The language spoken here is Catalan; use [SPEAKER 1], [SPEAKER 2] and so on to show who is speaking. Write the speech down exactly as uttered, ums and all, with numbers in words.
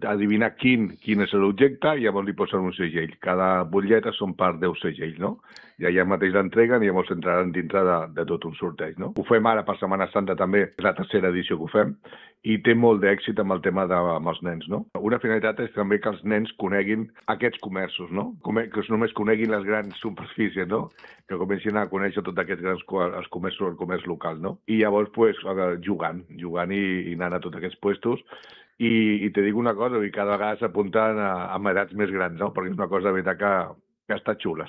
[SPEAKER 1] adivinar quin, quin és l'objecte i llavors li posen un segell. Cada butlleta són per deu segells, no? I allà mateix l'entreguen i llavors entraran dintre de, de tot un sorteig, no? Ho fem ara per Setmana Santa també, és la tercera edició que ho fem, i té molt d'èxit amb el tema de, amb els nens, no? Una finalitat és també que els nens coneguin aquests comerços, no? Que només coneguin les grans superfícies, no? Que comencin a conèixer tots aquests grans els comerços, el comerç local, no? I llavors, pues, jugant, jugant i, i anant a tots aquests puestos. I, i te dic una cosa, i cada vegada s'apunten a, a edats més grans, no? Perquè és una cosa de veritat que, que està xula.